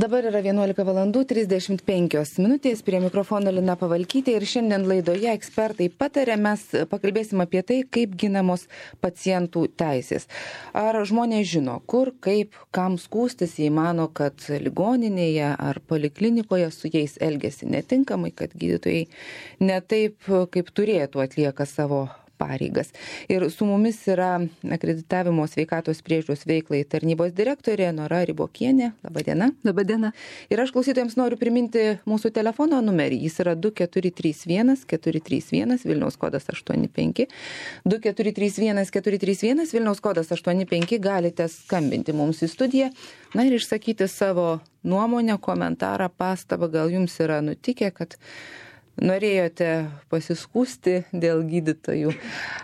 Dabar yra 11:35 prie mikrofono Lina Pavalkytė ir šiandien laidoje ekspertai patarė, mes pakalbėsim apie tai, kaip ginamos pacientų teisės. Ar žmonės žino, kur, kaip, kam skųstis, jei mano, kad ligoninėje ar poliklinikoje su jais elgiasi netinkamai, kad gydytojai ne taip, kaip turėtų atlieka savo pareigas. Ir su mumis yra akreditavimo sveikatos priežiūros veiklai tarnybos direktorė Nora Ribokienė. Labadiena. Labadiena. Ir aš klausytojams noriu priminti mūsų telefono numerį. Jis yra 2431 431 Vilniaus kodas 85. 2431 431 Vilniaus kodas 85. Galite skambinti mums į studiją. Na ir išsakyti savo nuomonę, komentarą, pastabą. Gal jums yra nutikę, kad norėjote pasiskųsti dėl gydytojų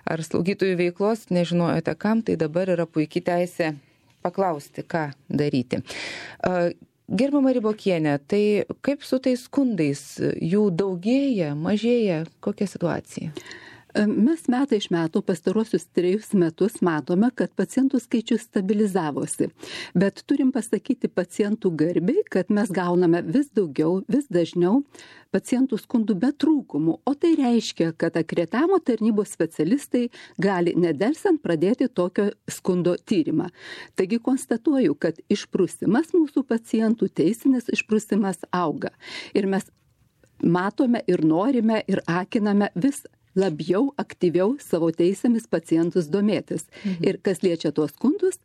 ar slaugytojų veiklos, nežinojote kam, tai dabar yra puikiai teisė paklausti, ką daryti. Gerbiama Ribokienė, tai kaip su tais skundais? Jų daugėja, mažėja? Kokia situacija? Mes metai iš metų pastarosius 3 metus matome, kad pacientų skaičius stabilizavosi. Bet turim pasakyti pacientų garbiai, kad mes gauname vis daugiau, vis dažniau pacientų skundų be trūkumų. O tai reiškia, kad akreditavimo tarnybos specialistai gali nedelsiant pradėti tokio skundo tyrimą. Taigi konstatuoju, kad išprusimas mūsų pacientų, teisinis išprusimas auga. Ir mes matome ir norime ir akiname vis labiau, aktyviau savo teisėmis pacientus domėtis. Ir kas liečia tuos skundus,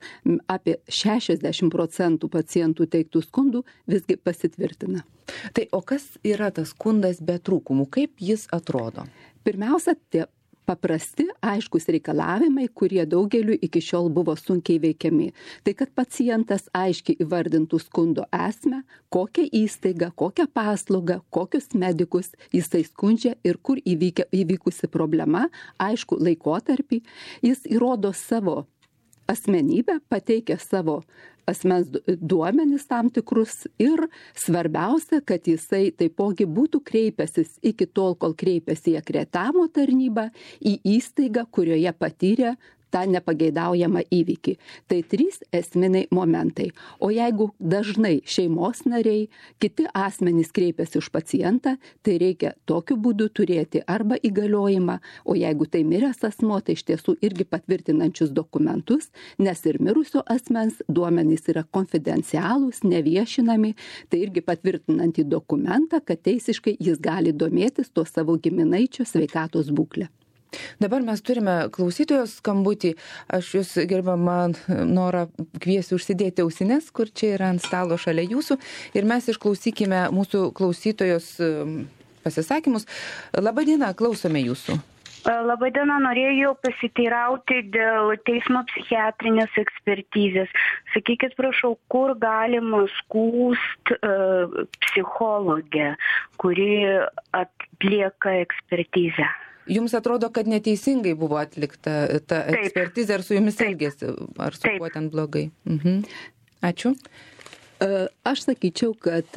apie 60% pacientų teiktų skundų visgi pasitvirtina. Tai o kas yra tas skundas be trūkumų? Kaip jis atrodo? Pirmiausia, tie paprasti, aiškus reikalavimai, kurie daugeliu iki šiol buvo sunkiai veikiami. Tai kad pacientas aiškiai įvardintų skundo esmę, kokią įstaigą, kokią paslaugą, kokius medikus jisai skundžia ir kur įvykusi problema, aišku laikotarpį. Jis įrodo savo asmenybę, pateikia savo asmens duomenis tam tikrus ir svarbiausia, kad jisai taipogi būtų kreipęsis iki tol, kol kreipėsi į akreditavimo tarnybą, į įstaigą, kurioje patyrė tą nepageidaujamą įvykį. Tai 3 esminiai momentai. O jeigu dažnai šeimos nariai, kiti asmenys kreipiasi už pacientą, tai reikia tokiu būdu turėti arba įgaliojimą, o jeigu tai miręs asmuo, tai iš tiesų irgi patvirtinančius dokumentus, nes ir mirusio asmens duomenys yra konfidencialūs, neviešinami, tai irgi patvirtinantį dokumentą, kad teisiškai jis gali domėtis tuo savo giminaičio sveikatos būklę. Dabar mes turime klausytojos skambutį. Aš jūs, gerbiama Nora, kviesiu užsidėti ausines, kur čia yra ant stalo šalia jūsų. Ir mes išklausykime mūsų klausytojos pasisakymus. Labadiena, klausome jūsų. Labadiena, norėjau pasiteirauti dėl teismo psichiatrinės ekspertizės. Sakykit, prašau, kur galima skųst psichologę, kuri atlieka ekspertizę? Jums atrodo, kad neteisingai buvo atlikta ta ekspertizė, ar su jumis elgėsi, ar su kuo ten blogai? Ačiū. Aš sakyčiau, kad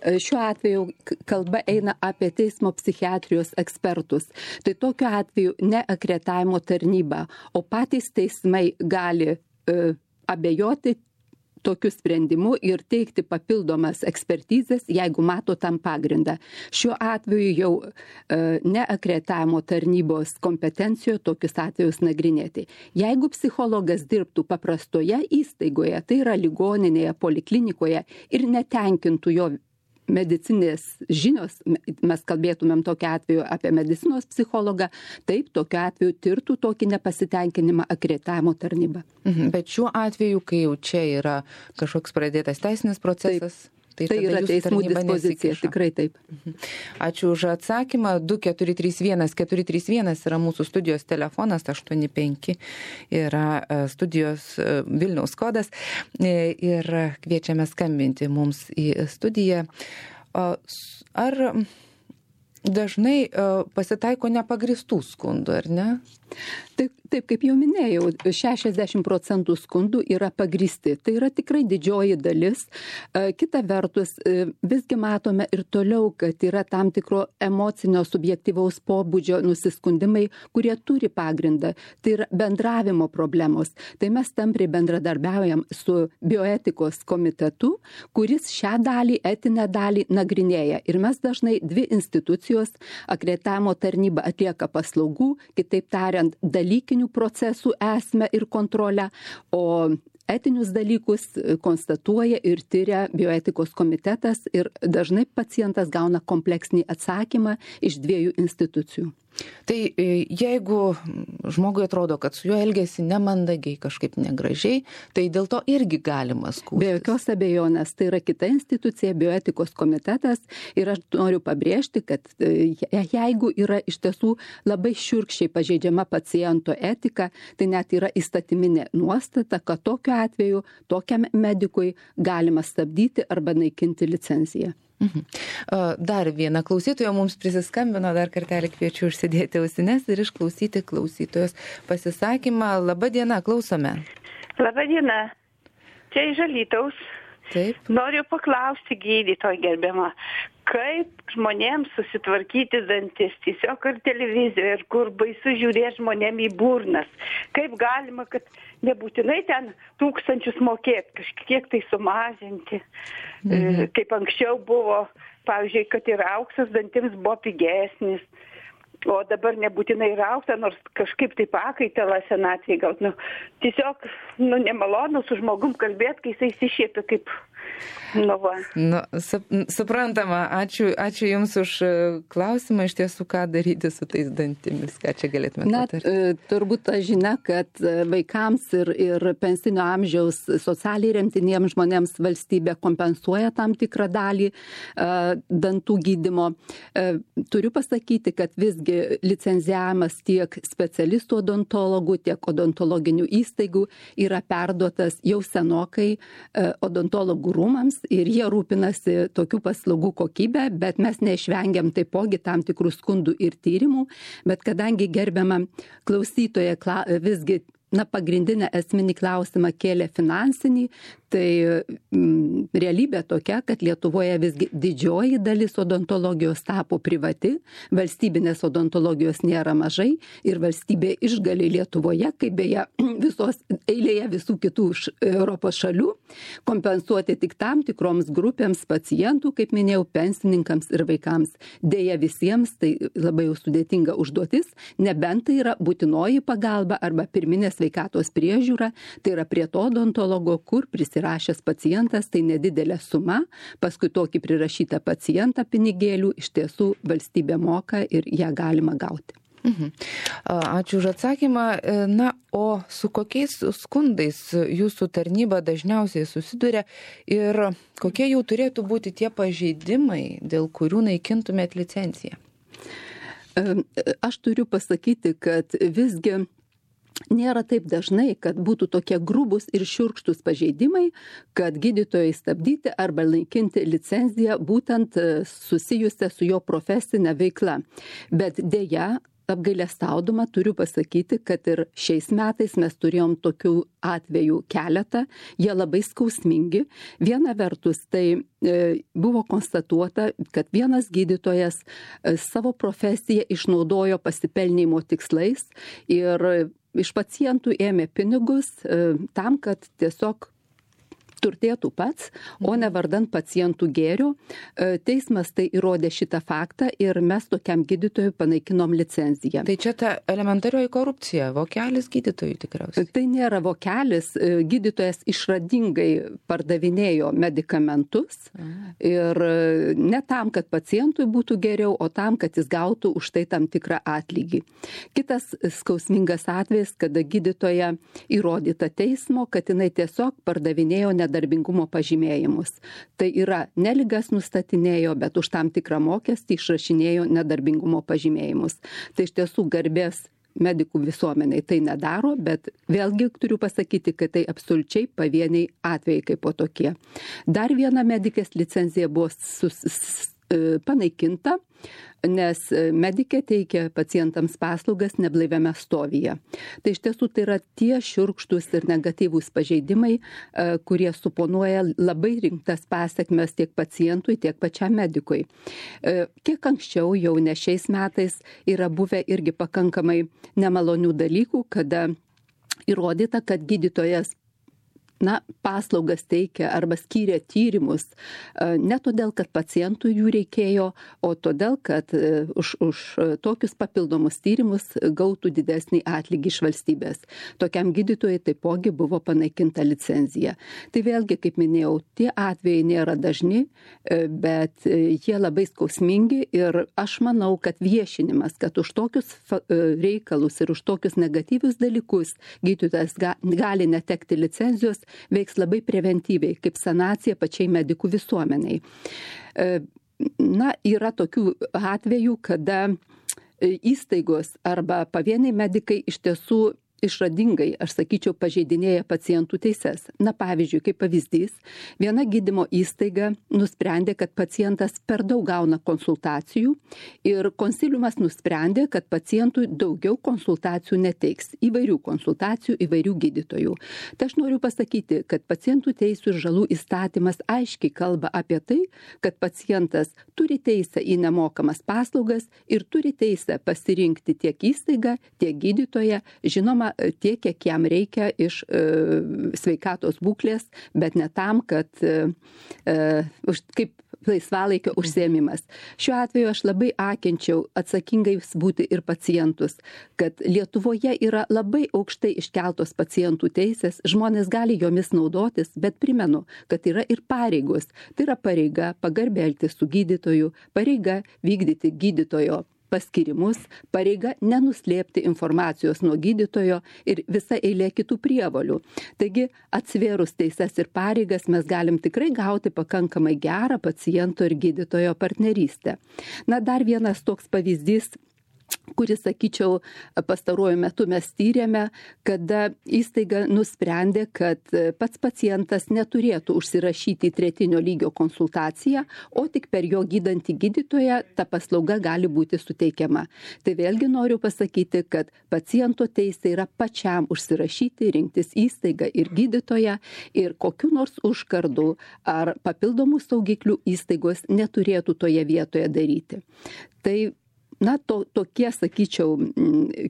šiuo atveju kalba eina apie teismo psichiatrijos ekspertus. Tai tokiu atveju ne akreditavimo tarnyba, o patys teismai gali abejoti tokiu sprendimu ir teikti papildomas ekspertizės, jeigu mato tam pagrindą. Šiuo atveju jau ne akreditavimo tarnybos kompetencijoje tokius atvejus nagrinėti. Jeigu psichologas dirbtų paprastoje įstaigoje, tai yra ligoninėje, poliklinikoje ir netenkintų jo medicinės žinios, mes kalbėtumėm tokiu atveju apie medicinos psichologą, taip, tokiu atveju tirtų tokį nepasitenkinimą akreditavimo tarnyba. Bet šiuo atveju, kai jau čia yra kažkoks pradėtas teisinis procesas, tai yra teismų dispozicija, tikrai taip. Ačiū už atsakymą. 2431 431 yra mūsų studijos telefonas, 85 yra studijos Vilniaus kodas ir kviečiame skambinti mums į studiją. Ar dažnai pasitaiko nepagristų skundų, ar ne? Taip, kaip jau minėjau, 60% skundų yra pagrįsti. Tai yra tikrai didžioji dalis. Kita vertus, visgi matome ir toliau, kad yra tam tikro emocinio subjektyvaus pobūdžio nusiskundimai, kurie turi pagrindą. Tai yra bendravimo problemos. Tai mes tampriai bendradarbiaujam su bioetikos komitetu, kuris šią dalį, etinę dalį nagrinėja. Ir mes dažnai dvi institucijos, akreditavimo tarnyba atlieka paslaugų, kitaip tariant, dalykinių procesų esmę ir kontrolę, o etinius dalykus konstatuoja ir tyria bioetikos komitetas ir dažnai pacientas gauna kompleksinį atsakymą iš dviejų institucijų. Tai jeigu žmogui atrodo, kad su juo elgesi nemandagiai, kažkaip negražiai, tai dėl to irgi galima skųstis. Be jokios abejonės, tai yra kita institucija, bioetikos komitetas, ir aš noriu pabrėžti, kad jeigu yra iš tiesų labai šiurkščiai pažeidžiama paciento etika, tai net yra įstatyminė nuostata, kad tokiu atveju tokiam medikui galima stabdyti arba naikinti licenciją. Dar viena klausytoja mums prisiskambino, dar kartelį kviečiu užsidėti ausines ir išklausyti klausytojos pasisakymą. Labą dieną, klausome. Labą dieną, čia iš Alytaus. Taip. Noriu paklausti gydytojo gerbiamą, kaip žmonėms susitvarkyti dantis, tiesiog ar televizijoje, ir kur baisu žiūrėti žmonėm į burnas. Kaip galima, kad nebūtinai ten 1000 mokėti, kažkiek tai sumažinti. Kaip anksčiau buvo, pavyzdžiui, kad ir auksas dantims buvo pigesnis. O dabar nebūtinai ir auksą, nors kažkaip tai pakaitalą senatvėje gaut. Tiesiog nemalonu su žmogum kalbėti, kai jisai išsišiepia kaip va. Suprantama, ačiū Jums už klausimą, iš tiesų, ką daryti su tais dantimis, ką čia galėtume patarti. Turbūt ta žinia, kad vaikams ir pensinio amžiaus socialiai remtiniems žmonėms valstybė kompensuoja tam tikrą dalį dantų gydymo. Turiu pasakyti, kad visgi licenzijavimas tiek specialistų odontologų, tiek odontologinių įstaigų yra perduotas jau senokai odontologų rūmams ir jie rūpinasi tokių paslaugų kokybę, bet mes neišvengiam taipogi tam tikrų skundų ir tyrimų, bet kadangi gerbiama klausytoja visgi pagrindinę esminį klausimą kėlė finansinį, tai realybė tokia, kad Lietuvoje visgi didžioji dalis odontologijos tapo privati, valstybinės odontologijos nėra mažai ir valstybė išgali Lietuvoje, kaip beje visos eilėje visų kitų Europos šalių, kompensuoti tik tam tikroms grupėms pacientų, kaip minėjau, pensininkams ir vaikams. Deja visiems tai labai jau sudėtinga užduotis, nebent tai yra būtinoji pagalba arba pirminė sveikatos priežiūra, tai yra prie to odontologo, kur prisirašęs pacientas, tai nedidelė suma, paskui tokį prirašytą pacientą pinigėlių iš tiesų valstybė moka ir ją galima gauti. Ačiū už atsakymą. O su kokiais skundais jūsų tarnyba dažniausiai susiduria ir kokie jau turėtų būti tie pažeidimai, dėl kurių naikintumėt licenciją? Aš turiu pasakyti, kad visgi nėra taip dažnai, kad būtų tokie grubus ir šiurkštus pažeidimai, kad gydytojai stabdyti arba naikinti licenciją būtent susijusią su jo profesinė veikla. Bet deja, apgailestaudama turiu pasakyti, kad ir šiais metais mes turėjom tokių atvejų keletą, jie labai skausmingi. Viena vertus, tai buvo konstatuota, kad vienas gydytojas savo profesiją išnaudojo pasipelnimo tikslais ir iš pacientų ėmė pinigus tam, kad tiesiog turtėtų pats, o ne vardant pacientų gėrio. Teismas tai įrodė šitą faktą ir mes tokiam gydytojui panaikinom licenciją. Tai čia ta elementarioji korupcija, vokelis gydytojui tikriausiai. Tai nėra vokelis, gydytojas išradingai pardavinėjo medikamentus ir ne tam, kad pacientui būtų geriau, o tam, kad jis gautų už tai tam tikrą atlygį. Kitas skausmingas atvejis, kada gydytoja įrodyta teismo, kad jinai tiesiog pardavinėjo nedarbingumo pažymėjimus. Tai yra ne ligas nustatinėjo, bet už tam tikrą mokestį išrašinėjo nedarbingumo pažymėjimus. Tai iš tiesų garbės medikų visuomeniai tai nedaro, bet vėlgi turiu pasakyti, kad tai absoliučiai pavieniai atvejai kaip po tokie. Dar viena medikės licencija buvo panaikinta, nes medikė teikia pacientams paslaugas neblaiviame stovyje. Tai iš tiesų tai yra tie šiurkštus ir negatyvūs pažeidimai, kurie suponuoja labai rimtas pasekmes tiek pacientui, tiek pačiam medikui. Kiek anksčiau, jau ne šiais metais, yra buvę irgi pakankamai nemalonių dalykų, kada įrodyta, kad gydytojas paslaugas teikia arba skyrė tyrimus ne todėl, kad pacientų jų reikėjo, o todėl, kad už tokius papildomus tyrimus gautų didesnį atlygį iš valstybės. Tokiam gydytojui taipogi buvo panaikinta licenzija. Tai vėlgi, kaip minėjau, tie atvejai nėra dažni, bet jie labai skausmingi ir aš manau, kad viešinimas, kad už tokius reikalus ir už tokius negatyvius dalykus gydytojas gali netekti licenzijos, veiks labai preventyviai, kaip sanacija pačiai medikų visuomeniai. Yra tokių atvejų, kada įstaigos arba pavieniai medikai iš tiesų išradingai, aš sakyčiau, pažeidinėja pacientų teises. Pavyzdžiui, kaip pavyzdys, viena gydymo įstaiga nusprendė, kad pacientas per daug gauna konsultacijų ir konsiliumas nusprendė, kad pacientui daugiau konsultacijų neteiks. Įvairių konsultacijų, įvairių gydytojų. Tai aš noriu pasakyti, kad pacientų teisų ir žalų įstatymas aiškiai kalba apie tai, kad pacientas turi teisę į nemokamas paslaugas ir turi teisę pasirinkti tiek įstaigą, tiek gydytoją, žinoma, tiek, kiek jam reikia iš sveikatos būklės, bet ne tam, kad kaip laisvalaikio užsiėmimas. Šiuo atveju aš labai akinčiau atsakingais būti ir pacientus, kad Lietuvoje yra labai aukštai iškeltos pacientų teisės, žmonės gali jomis naudotis, bet primenu, kad yra ir pareigos. Tai yra pareiga pagarbiai elgtis su gydytoju, pareiga vykdyti gydytojo paskirimus, pareiga nenuslėpti informacijos nuo gydytojo ir visa eilė kitų prievolių. Taigi, atsvėrus teises ir pareigas mes galim tikrai gauti pakankamai gerą paciento ir gydytojo partnerystę. Dar vienas toks pavyzdys, kuris, sakyčiau, pastaruoju metu mes tyrėme, kada įstaiga nusprendė, kad pats pacientas neturėtų užsirašyti į tretinio lygio konsultaciją, o tik per jo gydantį gydytoją ta paslauga gali būti suteikiama. Tai vėlgi noriu pasakyti, kad paciento teisė yra pačiam užsirašyti, rinktis įstaigą ir gydytoją ir kokiu nors užkardų ar papildomų saugiklių įstaigos neturėtų toje vietoje daryti. Tai tokie, sakyčiau,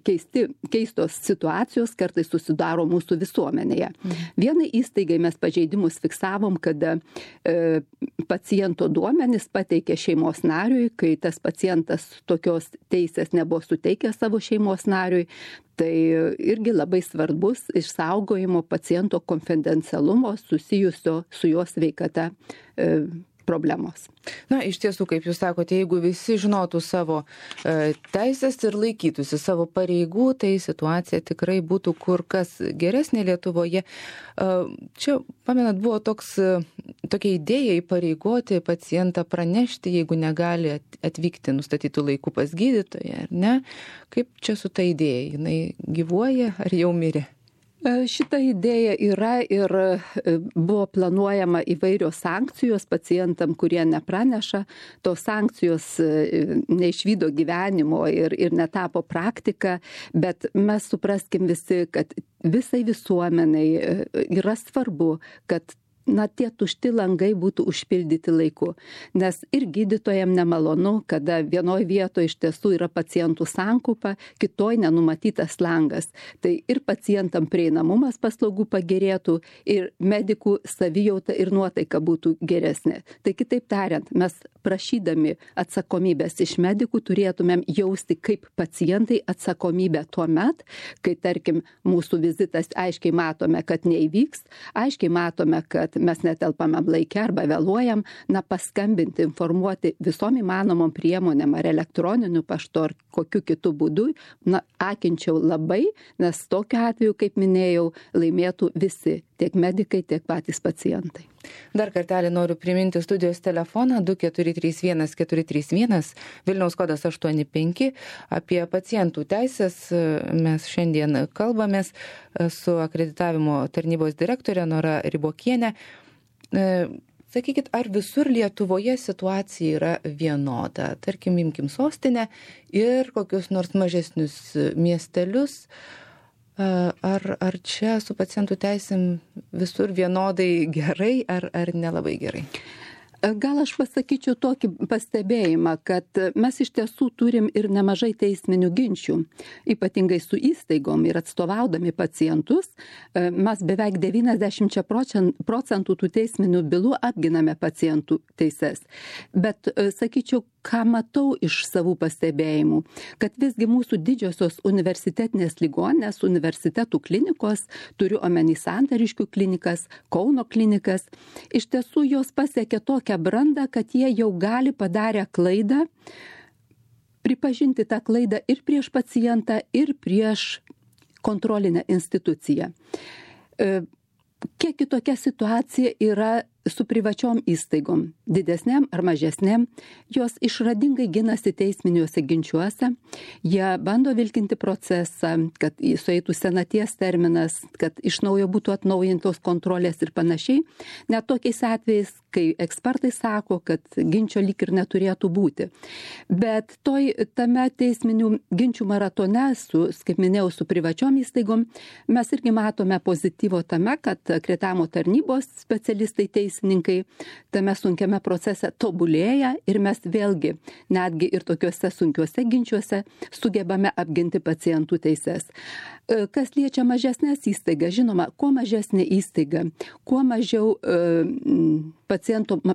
keistos situacijos kartais susidaro mūsų visuomenėje. Vienai įstaigai mes pažeidimus fiksavom, kada paciento duomenis pateikė šeimos nariui, kai tas pacientas tokios teisės nebuvo suteikęs savo šeimos nariui. Tai irgi labai svarbus išsaugojimo paciento konfidencialumo susijusio su jo sveikata problemos. Iš tiesų, kaip jūs sakote, jeigu visi žinotų savo teisės ir laikytųsi savo pareigų, tai situacija tikrai būtų kur kas geresnė Lietuvoje. Čia, pamenat, buvo tokia idėja įpareigoti pacientą pranešti, jeigu negali atvykti nustatytų laikų pas gydytoją, ar ne? Kaip čia su ta idėja? Jinai gyvuoja ar jau mirė? Šita idėja yra ir buvo planuojama įvairios sankcijos pacientam, kurie nepraneša. Tos sankcijos neišvydo gyvenimo ir netapo praktika, bet mes supraskim visi, kad visai visuomeniai yra svarbu, kad tie tušti langai būtų užpildyti laiku. Nes ir gydytojam nemalonu, kada vienoje vietoje iš tiesų yra pacientų sankaupa, kitoje nenumatytas langas. Tai ir pacientam prieinamumas paslaugų pagerėtų, ir medikų savijauta ir nuotaika būtų geresnė. Tai kitaip tariant, mes prašydami atsakomybės iš medikų turėtumėm jausti kaip pacientai atsakomybę tuo met, kai, tarkim, mūsų vizitas aiškiai matome, kad neįvyks, aiškiai matome, kad mes netelpame laike arba vėluojam, paskambinti, informuoti visom įmanomom priemonėm ar elektroniniu paštu ar kokiu kitu būdu, akinčiau labai, nes tokiu atveju, kaip minėjau, laimėtų visi, tiek medikai, tiek patys pacientai. Dar kartelį noriu priminti studijos telefoną 2431 Vilniaus kodas 85. Apie pacientų teisės mes šiandien kalbamės su akreditavimo tarnybos direktorė Nora Ribokienė. sakykit, ar visur Lietuvoje situacija yra vienoda? Tarkim, imkim sostinę ir kokius nors mažesnius miestelius. Ar čia su pacientų teisėm visur vienodai gerai ar nelabai gerai? Gal aš pasakyčiau tokį pastebėjimą, kad mes iš tiesų turim ir nemažai teisminių ginčių, ypatingai su įstaigom ir atstovaudami pacientus. Mes beveik 90 procentų tų teisminių bylų apginame pacientų teises. Bet sakyčiau, ką matau iš savų pastebėjimų, kad visgi mūsų didžiosios universitetinės ligoninės, universitetų klinikos, turiu omeny Santariškių klinikas, Kauno klinikas, iš tiesų jos pasiekė tokią brandą, kad jie jau gali padarę klaidą, pripažinti tą klaidą ir prieš pacientą, ir prieš kontrolinę instituciją. Kiek kitokia situacija yra su privačiom įstaigom, didesniam ar mažesniam, jos išradingai ginasi teisminiuose ginčiuose, jie bando vilkinti procesą, kad sueitų senaties terminas, kad iš naujo būtų atnaujintos kontrolės ir panašiai, net tokiais atvejais, kai ekspertai sako, kad ginčio lyg ir neturėtų būti. Bet tame teisminių ginčių maratone, kaip minėjau, su privačiom įstaigom, mes irgi matome pozityvo tame, kad akreditavimo tarnybos specialistai teisininkai tame sunkiame procese tobulėja ir mes vėlgi netgi ir tokiuose sunkiuose ginčiuose sugebame apginti pacientų teises. Kas liečia mažesnės įstaigas, žinoma, kuo mažesnė įstaiga, kuo mažiau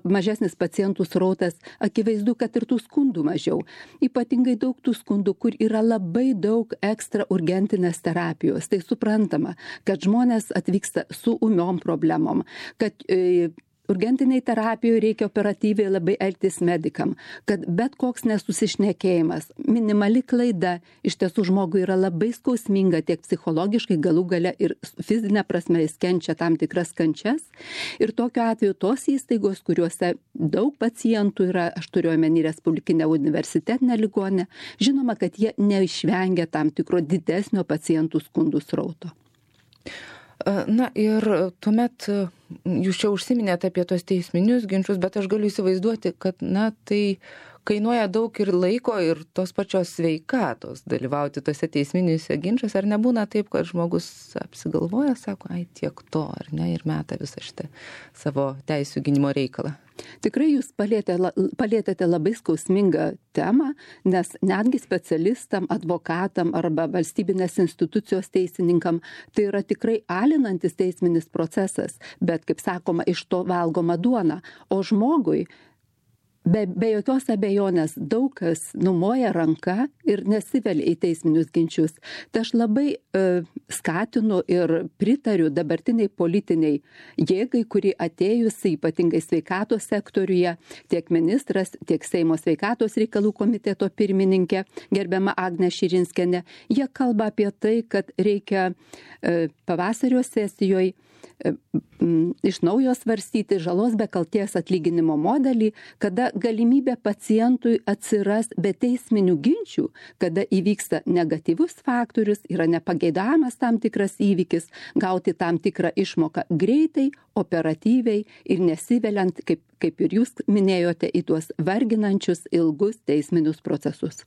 mažesnis pacientų srautas, akivaizdu, kad ir tų skundų mažiau. Ypatingai daug tų skundų, kur yra labai daug ekstra urgentinės terapijos. Tai suprantama, kad žmonės atvyksta su ūmiom problemom, kad urgentiniai terapijoje reikia operatyviai labai elgtis medikam, kad bet koks nesusišnekėjimas, minimali klaida iš tiesų žmogui yra labai skausminga tiek psichologiškai, galų gale ir fizinė prasme jis kenčia tam tikras kančias. Ir tokiu atveju tos įstaigos, kuriuose daug pacientų yra, aš turiu omeny Respublikinę universitetinę ligoninę, žinoma, kad jie neišvengia tam tikro didesnio pacientų skundų srauto. Na ir tuomet jūs čia užsiminėte apie tos teisminius ginčius, bet aš galiu įsivaizduoti, kad tai kainuoja daug ir laiko ir tos pačios sveikatos dalyvauti tose teisminiuose ginčiuose. Ar nebūna taip, kad žmogus apsigalvoja, sako, tiek to, ar ne, ir meta visą šitą savo teisių gynimo reikalą? Tikrai jūs palėtėte labai skausmingą temą, nes netgi specialistam, advokatam arba valstybinės institucijos teisininkam tai yra tikrai alinantis teisminis procesas, bet, kaip sakoma, iš to valgoma duona. O žmogui be jokios abejonės daug kas numoja ranką ir nesivelia į teisminius ginčius. Tai aš labai skatinu ir pritariu dabartiniai politiniai jėgai, kuri atėjusi ypatingai sveikatos sektoriuje, tiek ministras, tiek Seimo sveikatos reikalų komiteto pirmininkė, gerbiama Agnė Širinskienė, jie kalba apie tai, kad reikia pavasario sesijoje iš naujo svarstyti žalos be kaltės atlyginimo modelį, kada galimybė pacientui atsiras be teisminių ginčių, kada įvyksta negatyvus faktorius, yra nepageidavimas tam tikras įvykis, gauti tam tikrą išmoką greitai, operatyviai ir nesiveliant, kaip ir jūs minėjote, į tuos varginančius ilgus teisminius procesus.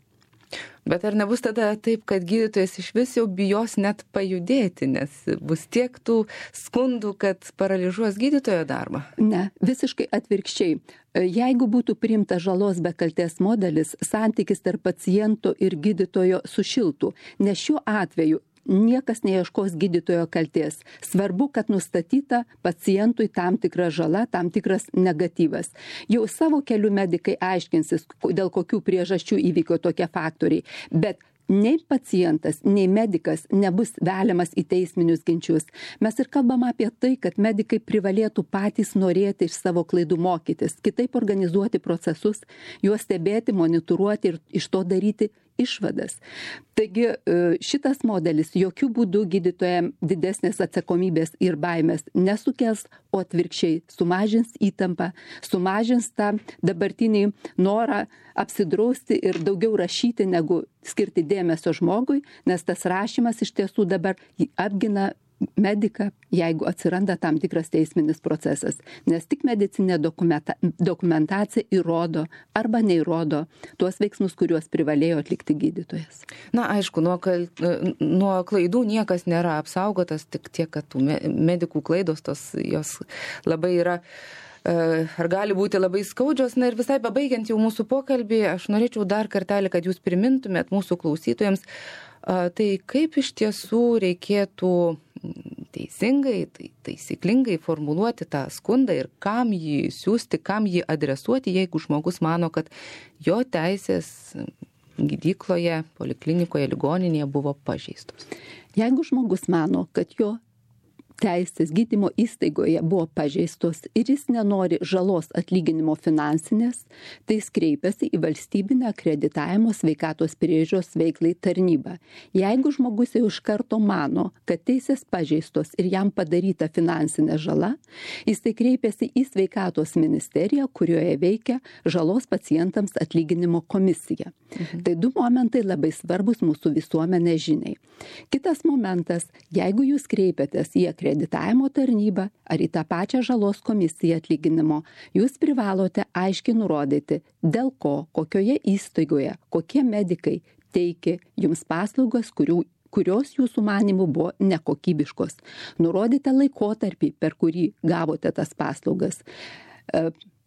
Bet ar nebus tada taip, kad gydytojas iš vis jau bijos net pajudėti, nes bus tiek tų skundų, kad paralyžuos gydytojo darbą? Ne, visiškai atvirkščiai. Jeigu būtų priimtas žalos be kaltės modelis, santykis tarp paciento ir gydytojo sušiltų, nes šiuo atveju niekas neieškos gydytojo kaltės. Svarbu, kad nustatyta pacientui tam tikra žala, tam tikras negatyvas. Jau savo keliu medikai aiškinsis, dėl kokių priežasčių įvyko tokie faktoriai. Bet nei pacientas, nei medikas nebus veliamas į teisminius ginčius. Mes ir kalbam apie tai, kad medikai privalėtų patys norėti iš savo klaidų mokytis, kitaip organizuoti procesus, juos stebėti, monitoruoti ir iš to daryti išvadas. Taigi šitas modelis jokių būdų gydytojams didesnės atsakomybės ir baimės nesukels, o atvirkščiai sumažins įtampą, sumažins tą dabartinį norą apsidrausti ir daugiau rašyti, negu skirti dėmesio žmogui, nes tas rašymas iš tiesų dabar apgina mediką, jeigu atsiranda tam tikras teisminis procesas, nes tik medicinė dokumentacija įrodo arba neįrodo tuos veiksmus, kuriuos privalėjo atlikti gydytojas. Na, aišku, nuo klaidų niekas nėra apsaugotas, tik tiek, kad tų medikų klaidos jos labai yra, ar gali būti labai skaudžios. Na ir visai pabaigiant jau mūsų pokalbį, aš norėčiau dar kartelį, kad jūs primintumėt mūsų klausytojams, tai kaip iš tiesų reikėtų teisingai, taisyklingai formuluoti tą skundą ir kam jį siūsti, kam jį adresuoti, jeigu žmogus mano, kad jo teisės gydykloje, poliklinikoje, ligoninėje buvo pažeistos. Jeigu žmogus mano, kad jo teisės gydymo įstaigoje buvo pažeistos ir jis nenori žalos atlyginimo finansinės, tai jis kreipiasi į valstybinę akreditavimo sveikatos priežiūros veiklai tarnybą. Jeigu žmogus jau iš karto mano, kad teisės pažeistos ir jam padaryta finansinė žala, jis tai kreipiasi į sveikatos ministeriją, kurioje veikia žalos pacientams atlyginimo komisija. Tai du momentai labai svarbus mūsų visuomenės žiniai. Kitas momentas, jeigu jūs kreipiatės į akreditavimo tarnybą ar į tą pačią žalos komisiją atlyginimo, jūs privalote aiškiai nurodyti, dėl ko, kokioje įstaigoje, kokie medikai teikia jums paslaugas, kurios jūsų manimų buvo nekokybiškos. Nurodite laikotarpį, per kurį gavote tas paslaugas.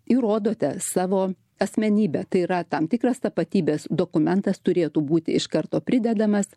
Įrodote savo asmenybę, tai yra tam tikras tapatybės dokumentas turėtų būti iš karto pridedamas.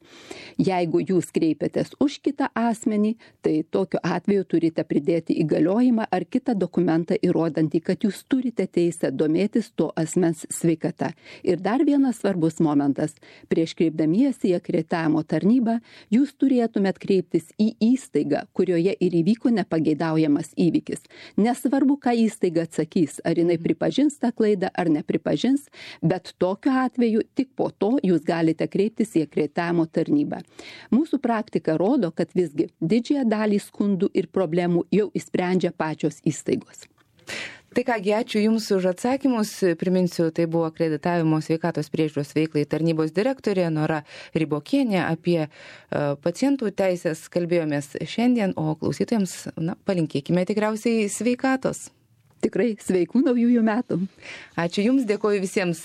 Jeigu jūs kreipiatės už kitą asmenį, tai tokiu atveju turite pridėti įgaliojimą ar kitą dokumentą įrodantį, kad jūs turite teisę domėtis to asmens sveikata. Ir dar vienas svarbus momentas. Prieš kreipdamiesi į akreditavimo tarnybą, jūs turėtumėt kreiptis į įstaigą, kurioje ir įvyko nepageidaujamas įvykis. Nesvarbu, ką įstaiga atsakys, ar jinai pripažins tą klaidą, ar nepripažins, bet tokiu atveju tik po to jūs galite kreiptis į akreditavimo tarnybą. Mūsų praktika rodo, kad visgi didžiąją dalį skundų ir problemų jau išsprendžia pačios įstaigos. Tai kągi, ačiū Jums už atsakymus. Priminsiu, tai buvo akreditavimo sveikatos priežiūros veiklai tarnybos direktorė Nora Rybokienė. Apie pacientų teisės kalbėjomės šiandien, o klausytojams palinkėkime tikriausiai sveikatos. Tikrai sveikų naujųjų metų. Ačiū Jums, dėkoju visiems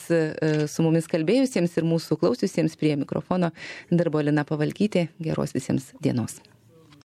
su mumis kalbėjusiems ir mūsų klausiusiems. Prie mikrofono dirbo Lina Pavalkytė. Geros visiems dienos.